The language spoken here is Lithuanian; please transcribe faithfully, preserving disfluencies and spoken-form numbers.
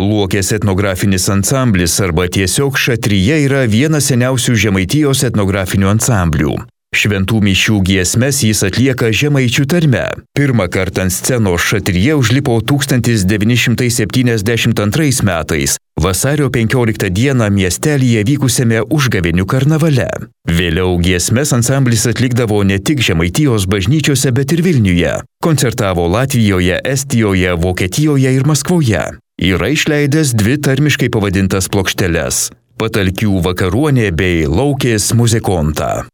Luokės etnografinis ansamblis arba tiesiog Šatrija yra vienas seniausių Žemaitijos etnografinių ansamblių. Šventų mišių giesmes jis atlieka žemaičių tarme. Pirmą kartą ant scenos Šatrija užlipo tūkstantis devyni šimtai septyniasdešimt antrais metais, vasario penkioliktą dieną miestelyje vykusiame Užgavėnių karnavale. Vėliau giesmes ansamblis atlikdavo ne tik Žemaitijos bažnyčiose, bet ir Vilniuje. Koncertavo Latvijoje, Estijoje, Vokietijoje ir Maskvoje. Yra išleidęs dvi tarmiškai pavadintas plokšteles – Patalkių vakaruonė bei Laukės muzikonta.